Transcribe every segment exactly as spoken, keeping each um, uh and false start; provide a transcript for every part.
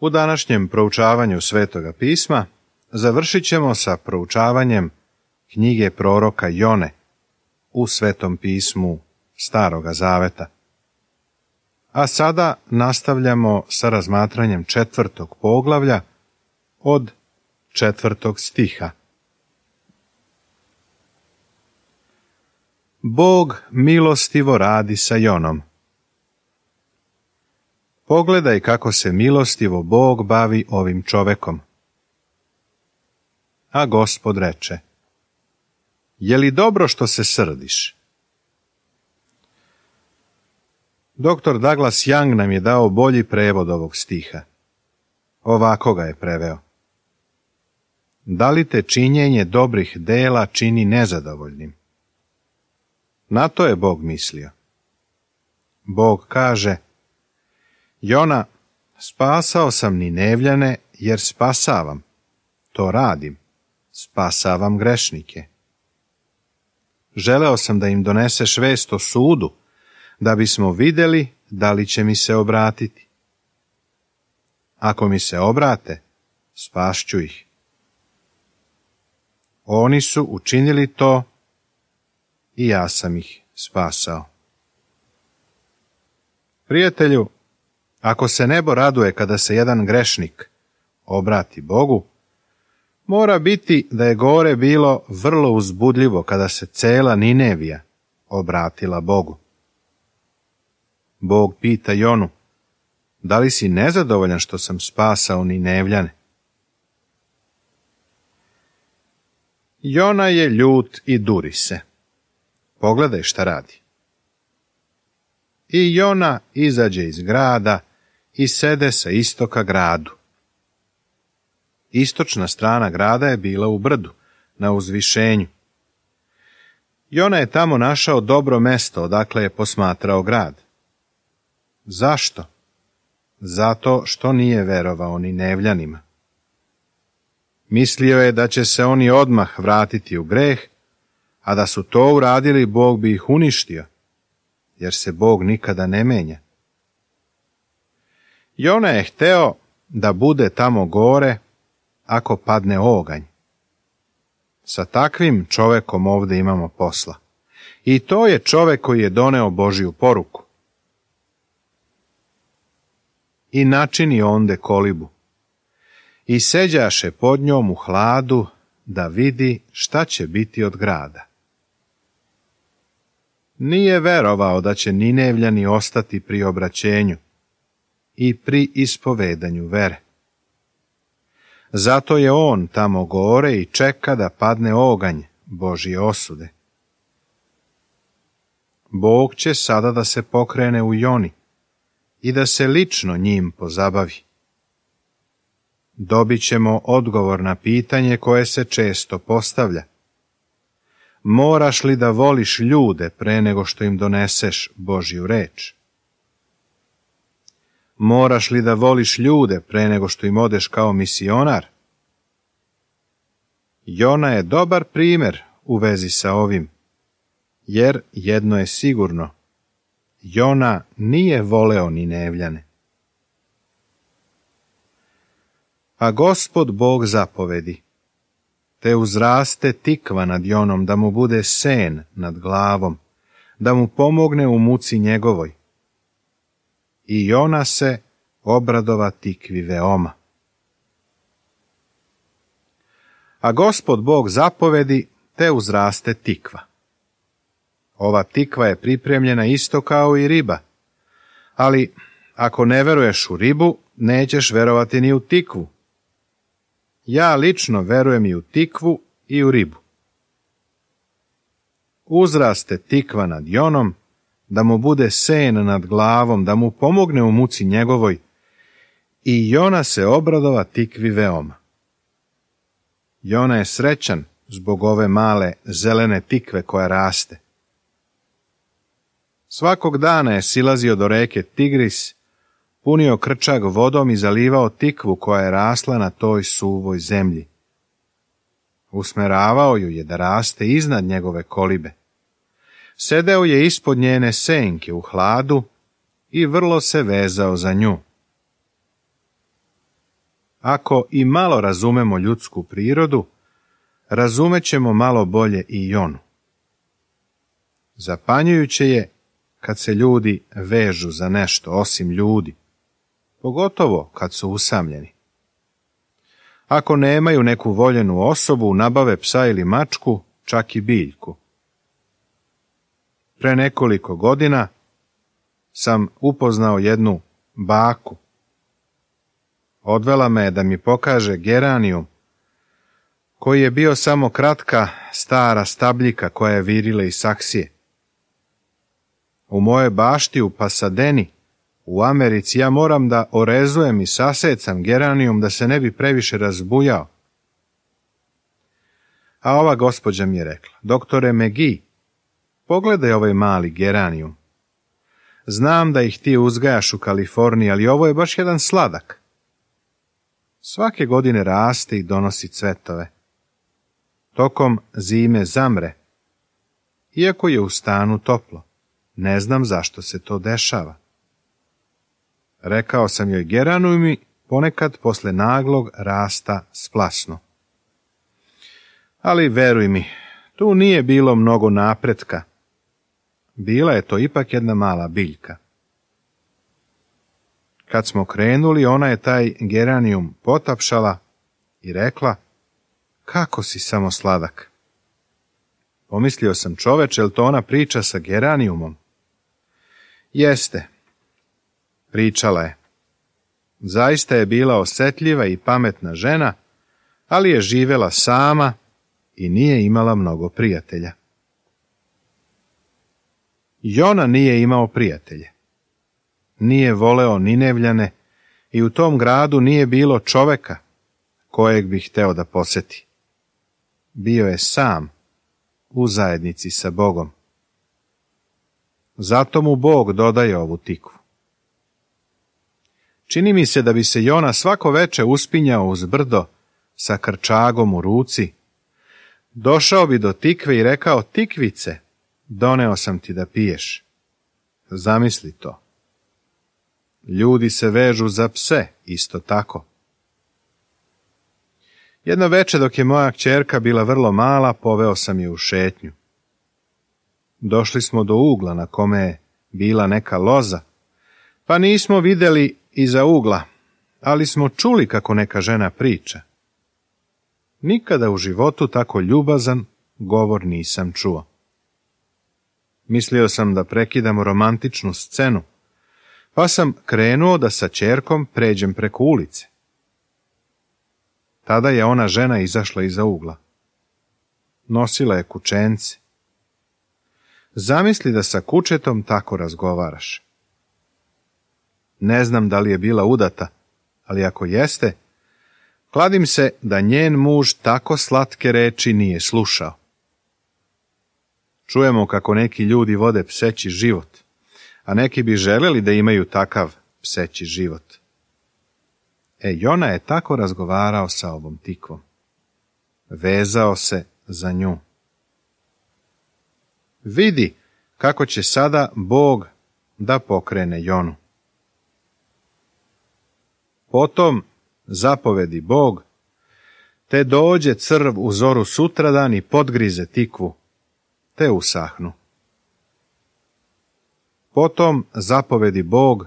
U današnjem proučavanju Svetoga pisma završit ćemo sa proučavanjem knjige proroka Jone u Svetom pismu Staroga Zaveta. A sada nastavljamo sa razmatranjem četvrtog poglavlja od četvrtog stiha. Bog milostivo radi sa Jonom. Pogledaj kako se milostivo Bog bavi ovim čovekom. A Gospod reče: Je li dobro što se srdiš? Doktor Douglas Young nam je dao bolji prevod ovog stiha. Ovako ga je preveo: Da li te činjenje dobrih dela čini nezadovoljnim? Na to je Bog mislio. Bog kaže: Jona, spasao sam Ninevljane jer spasavam. To radim. Spasavam grešnike. Želeo sam da im doneseš vest o sudu, da bismo vidjeli da li će mi se obratiti. Ako mi se obrate, spašću ih. Oni su učinili to i ja sam ih spasao. Prijatelju, ako se nebo raduje kada se jedan grešnik obrati Bogu, mora biti da je gore bilo vrlo uzbudljivo kada se cela Ninevija obratila Bogu. Bog pita Jonu: Da li si nezadovoljan što sam spasao Ninevljane? Jona je ljut i duri se. Pogledaj šta radi. I Jona izađe iz grada i sede sa istoka gradu. Istočna strana grada je bila u brdu, na uzvišenju. Jona je tamo našao dobro mesto odakle je posmatrao grad. Zašto? Zato što nije verovao Ninevljanima. Mislio je da će se oni odmah vratiti u greh, a da su to uradili, Bog bi ih uništio, jer se Bog nikada ne menja. Jona je hteo da bude tamo gore ako padne oganj. Sa takvim čovekom ovdje imamo posla. I to je čovek koji je doneo Božju poruku. I načini onde kolibu. I seđaše pod njom u hladu da vidi šta će biti od grada. Nije verovao da će Ninevljani ostati pri obraćenju i pri ispovedanju vere. Zato je on tamo gore i čeka da padne oganj Božje osude. Bog će sada da se pokrene u Joni i da se lično njim pozabavi. Dobit ćemo odgovor na pitanje koje se često postavlja. Moraš li da voliš ljude pre nego što im doneseš Božju reč? Moraš li da voliš ljude pre nego što im odeš kao misionar? Jona je dobar primjer u vezi sa ovim, jer jedno je sigurno: Jona nije voleo Ninevljane. A Gospod Bog zapovedi: te uzraste tikva nad Jonom, da mu bude sen nad glavom, da mu pomogne u muci njegovoj. I Jona se obradova tikvi veoma. A Gospod Bog zapovedi, te uzraste tikva. Ova tikva je pripremljena isto kao i riba, ali ako ne veruješ u ribu, nećeš verovati ni u tikvu. Ja lično verujem i u tikvu i u ribu. Uzraste tikva nad Jonom, da mu bude sen nad glavom, da mu pomogne u muci njegovoj, i Jona se obradova tikvi veoma. Jona je srećan zbog ove male zelene tikve koja raste. Svakog dana je silazio do reke Tigris, punio krčag vodom i zalivao tikvu koja je rasla na toj suvoj zemlji. Usmeravao ju je da raste iznad njegove kolibe. Sedeo je ispod njene senke u hladu i vrlo se vezao za nju. ako i malo razumemo ljudsku prirodu, razumećemo malo bolje i Jonu. Zapanjujuće je kad se ljudi vežu za nešto osim ljudi, pogotovo kad su usamljeni. Ako nemaju neku voljenu osobu, nabave psa ili mačku, čak i biljku. Pre nekoliko godina sam upoznao jednu baku. Odvela me da mi pokaže geranijum, koji je bio samo kratka stara stabljika koja je virila iz saksije. U mojoj bašti u Pasadeni, u Americi, ja moram da orezujem i sasecam geranijum da se ne bi previše razbujao. A ova gospođa mi je rekla: doktore McGee, pogledaj ovaj mali geranijum. Znam da ih ti uzgajaš u Kaliforniji, ali ovo je baš jedan sladak. Svake godine raste i donosi cvetove. Tokom zime zamre, iako je u stanu toplo. Ne znam zašto se to dešava. Rekao sam joj, geranijumi ponekad posle naglog rasta splasnu. Ali veruj mi, tu nije bilo mnogo napretka. Bila je to ipak jedna mala biljka. Kad smo krenuli, ona je taj geranijum potapšala i rekla: kako si samo sladak. Pomislio sam, čoveče, jel to ona priča sa geranijumom? Jeste, pričala je. Zaista je bila osetljiva i pametna žena, ali je živela sama i nije imala mnogo prijatelja. Jona nije imao prijatelje. Nije voleo Ninevljane i u tom gradu nije bilo čoveka kojeg bi hteo da poseti. Bio je sam u zajednici sa Bogom. Zato mu Bog dodaje ovu tikvu. Čini mi se da bi se Jona svako veče uspinjao uz brdo sa krčagom u ruci. Došao bi do tikve i rekao: tikvice, doneo sam ti da piješ. Zamisli to. Ljudi se vežu za pse, isto tako. Jedno veče dok je moja kćerka bila vrlo mala, poveo sam je u šetnju. Došli smo do ugla na kome je bila neka loza, pa nismo vidjeli iza ugla, ali smo čuli kako neka žena priča. Nikada u životu tako ljubazan govor nisam čuo. Mislio sam da prekidam romantičnu scenu, pa sam krenuo da sa ćerkom pređem preko ulice. Tada je ona žena izašla iza ugla. Nosila je kučence. Zamisli da sa kučetom tako razgovaraš. Ne znam da li je bila udata, ali ako jeste, kladim se da njen muž tako slatke reči nije slušao. Čujemo kako neki ljudi vode pseći život, a neki bi želeli da imaju takav pseći život. E, Jona je tako razgovarao sa ovom tikvom. Vezao se za nju. Vidi kako će sada Bog da pokrene Jonu. Potom zapovedi Bog, te dođe crv u zoru sutradan i podgrize tikvu, te usahnu. Potom zapovedi Bog,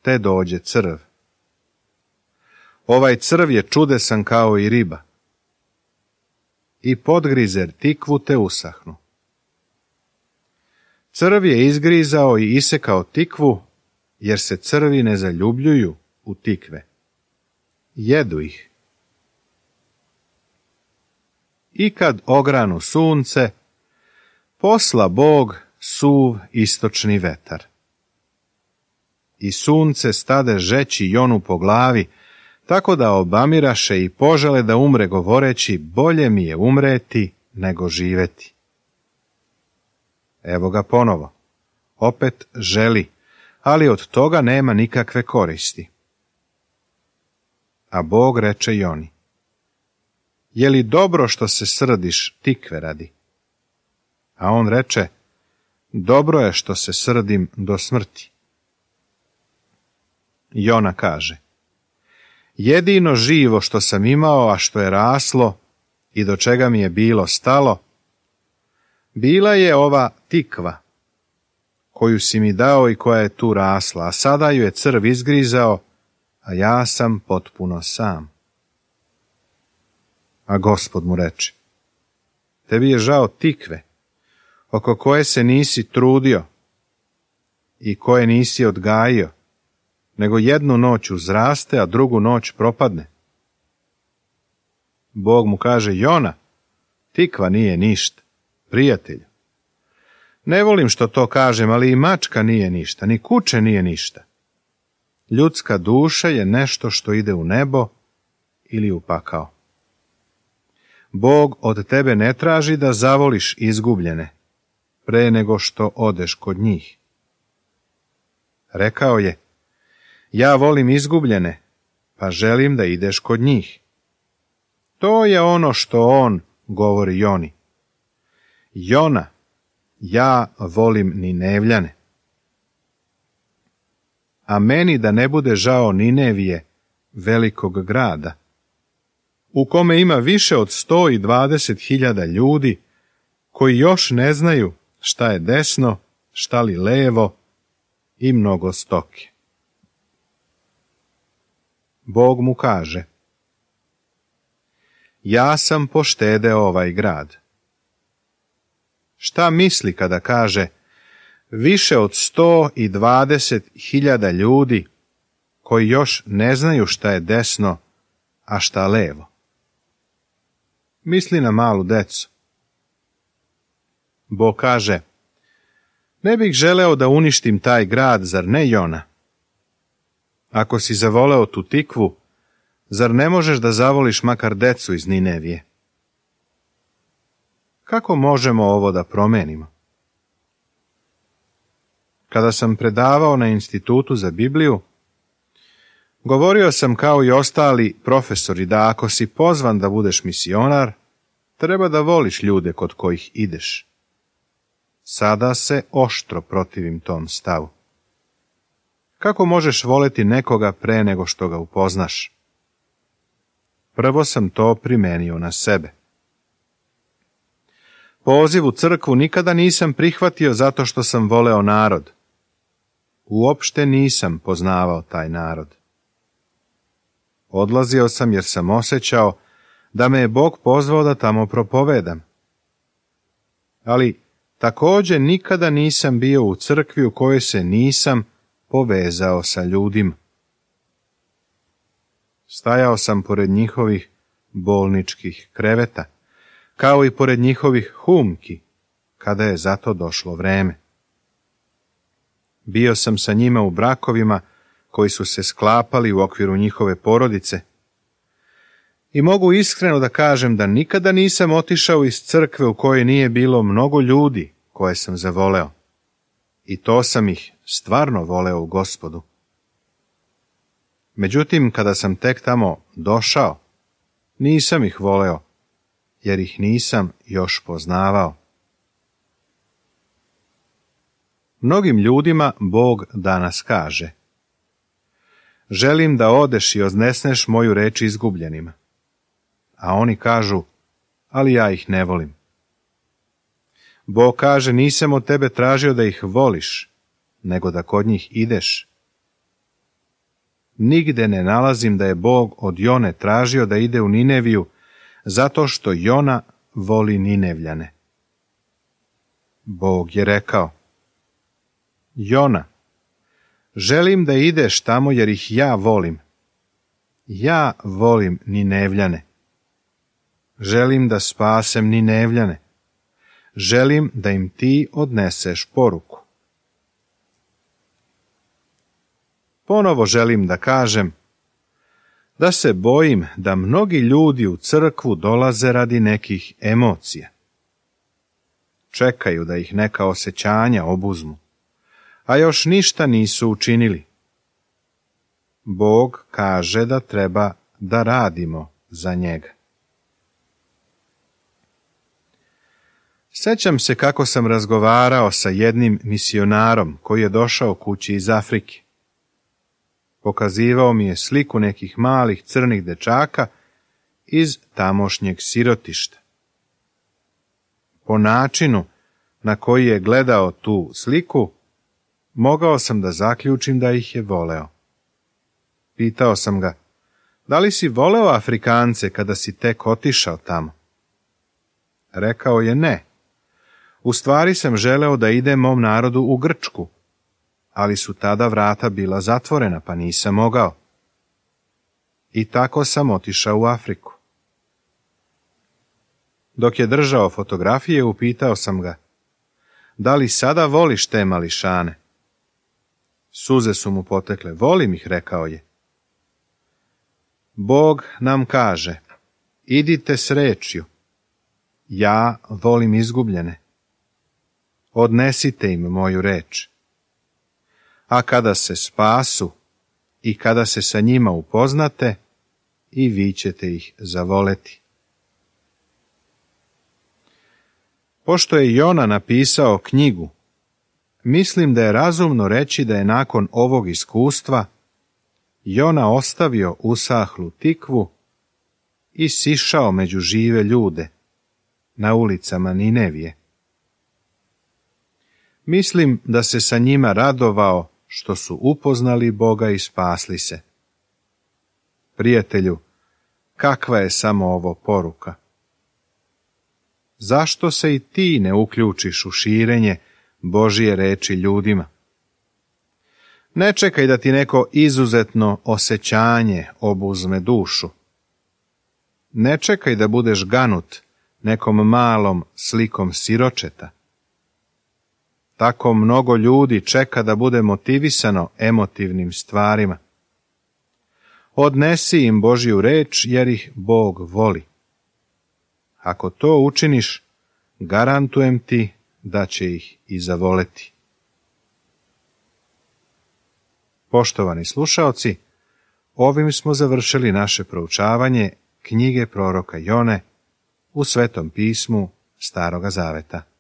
te dođe crv. Ovaj crv je čudesan kao i riba. I podgrize tikvu, te usahnu. Crv je izgrizao i isekao tikvu, jer se crvi ne zaljubljuju u tikve. Jedu ih. I kad ogranu sunce, posla Bog suv istočni vetar. I sunce stade žeći Jonu po glavi, tako da obamiraše i požele da umre, govoreći: bolje mi je umreti nego živeti. Evo ga ponovo. Opet želi, ali od toga nema nikakve koristi. A Bog reče Joni: je li dobro što se srdiš tikve radi? A on reče: dobro je što se srdim do smrti. Jona kaže: Jedino živo što sam imao, a što je raslo i do čega mi je bilo stalo, bila je ova tikva, koju si mi dao i koja je tu rasla, a sada ju je crv izgrizao, a ja sam potpuno sam. A Gospod mu reče, tebi je žao tikve, oko koje se nisi trudio i koje nisi odgajio, nego jednu noć uzraste, a drugu noć propadne. Bog mu kaže, Jona, tikva nije ništa, prijatelju. Ne volim što to kažem, ali i mačka nije ništa, ni kuće nije ništa. Ljudska duša je nešto što ide u nebo ili u pakao. Bog od tebe ne traži da zavoliš izgubljene, pre nego što odeš kod njih. Rekao je, ja volim izgubljene, pa želim da ideš kod njih. To je ono što on govori Joni. Jona, ja volim Ninevljane. A meni da ne bude žao Ninevije, velikog grada, u kome ima više od sto i dvadeset hiljada ljudi, koji još ne znaju šta je desno, šta li levo i mnogo stoke. Bog mu kaže, ja sam poštedeo ovaj grad. Šta misli kada kaže više od sto i dvadeset hiljada ljudi koji još ne znaju šta je desno, a šta levo? Misli na malu decu. Bog kaže, ne bih želeo da uništim taj grad, zar ne, Jona? Ako si zavoleo tu tikvu, zar ne možeš da zavoliš makar decu iz Ninevije? Kako možemo ovo da promenimo? Kada sam predavao na Institutu za Bibliju, govorio sam kao i ostali profesori da ako si pozvan da budeš misionar, treba da voliš ljude kod kojih ideš. Sada se oštro protivim tom stavu. Kako možeš voleti nekoga pre nego što ga upoznaš? Prvo sam to primenio na sebe. Poziv u crkvu nikada nisam prihvatio zato što sam voleo narod. Uopšte nisam poznavao taj narod. Odlazio sam jer sam osjećao da me je Bog pozvao da tamo propovedam. Ali također nikada nisam bio u crkvi u kojoj se nisam povezao sa ljudima. Stajao sam pored njihovih bolničkih kreveta, kao i pored njihovih humki, kada je za to došlo vreme. Bio sam sa njima u brakovima koji su se sklapali u okviru njihove porodice i mogu iskreno da kažem da nikada nisam otišao iz crkve u kojoj nije bilo mnogo ljudi koje sam zavoleo. I to sam ih stvarno voleo u Gospodu. Međutim, kada sam tek tamo došao, nisam ih voleo, jer ih nisam još poznavao. Mnogim ljudima Bog danas kaže, želim da odeš i odnesneš moju reč izgubljenima. A oni kažu, ali ja ih ne volim. Bog kaže, nisam od tebe tražio da ih voliš, nego da kod njih ideš. Nigde ne nalazim da je Bog od Jone tražio da ide u Nineviju, zato što Jona voli Ninevljane. Bog je rekao, Jona, želim da ideš tamo jer ih ja volim. Ja volim Ninevljane. Želim da spasem Ninevljane. Želim da im ti odneseš poruku. Ponovo želim da kažem da se bojim da mnogi ljudi u crkvu dolaze radi nekih emocija. Čekaju da ih neka osjećanja obuzmu, a još ništa nisu učinili. Bog kaže da treba da radimo za njega. Sećam se kako sam razgovarao sa jednim misionarom koji je došao kući iz Afrike. Pokazivao mi je sliku nekih malih crnih dečaka iz tamošnjeg sirotišta. Po načinu na koji je gledao tu sliku, mogao sam da zaključim da ih je voleo. Pitao sam ga, da li si voleo Afrikance kada si tek otišao tamo? Rekao je ne. U stvari sam želeo da idem mom narodu u Grčku, ali su tada vrata bila zatvorena, pa nisam mogao. I tako sam otišao u Afriku. Dok je držao fotografije, upitao sam ga, da li sada voliš te mališane? Suze su mu potekle. Volim ih, rekao je. Bog nam kaže, idite s rečju. Ja volim izgubljene. Odnesite im moju reč. A kada se spasu i kada se sa njima upoznate, i vi ćete ih zavoleti. Pošto je Jona napisao knjigu, mislim da je razumno reći da je nakon ovog iskustva Jona ostavio usahlu tikvu i sišao među žive ljude na ulicama Ninevije. Mislim da se sa njima radovao što su upoznali Boga i spasli se. Prijatelju, kakva je samo ovo poruka? Zašto se i ti ne uključiš u širenje Božije reči ljudima? Ne čekaj da ti neko izuzetno osjećanje obuzme dušu. Ne čekaj da budeš ganut nekom malom slikom siročeta. Tako mnogo ljudi čeka da bude motivisano emotivnim stvarima. Odnesi im Božju reč jer ih Bog voli. Ako to učiniš, garantujem ti da će ih i zavoleti. Poštovani slušaoci, ovim smo završili naše proučavanje knjige proroka Jone u Svetom pismu Staroga Zaveta.